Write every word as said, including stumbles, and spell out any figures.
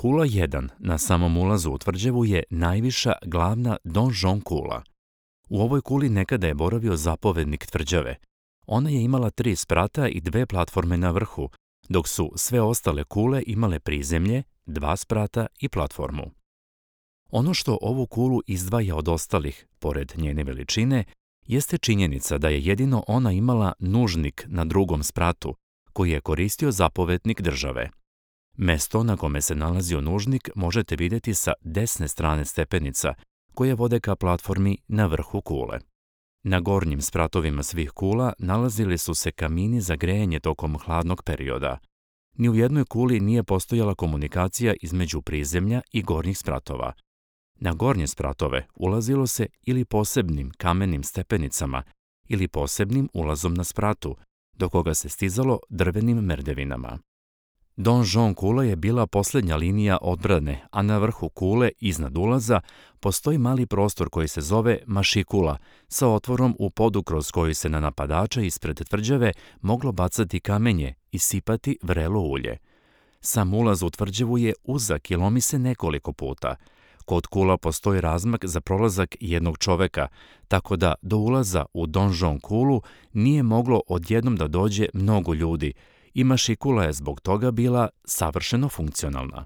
Kula jedan na samom ulazu u tvrđavu je najviša glavna donžon kula. U ovoj kuli nekada je boravio zapovednik tvrđave. Ona je imala tri sprata i dve platforme na vrhu, dok su sve ostale kule imale prizemlje, dva sprata i platformu. Ono što ovu kulu izdvaja od ostalih, pored njene veličine, jeste činjenica da je jedino ona imala nužnik na drugom spratu, koji je koristio zapovednik države. Mesto na kome se nalazio nužnik možete vidjeti sa desne strane stepenica, koje vode ka platformi na vrhu kule. Na gornjim spratovima svih kula nalazili su se kamini za grejanje tokom hladnog perioda. Ni u jednoj kuli nije postojala komunikacija između prizemlja i gornjih spratova. Na gornje spratove ulazilo se ili posebnim kamenim stepenicama ili posebnim ulazom na spratu, do koga se stizalo drvenim merdevinama. Donžon kula je bila posljednja linija odbrane, a na vrhu kule, iznad ulaza, postoji mali prostor koji se zove mašikula, sa otvorom u podu kroz koji se na napadača ispred tvrđave moglo bacati kamenje i sipati vrelo ulje. Sam ulaz u tvrđavu je uzak i lomi se nekoliko puta. Kod kula postoji razmak za prolazak jednog čoveka, tako da do ulaza u donžon kulu nije moglo odjednom da dođe mnogo ljudi, i mašikula je zbog toga bila savršeno funkcionalna.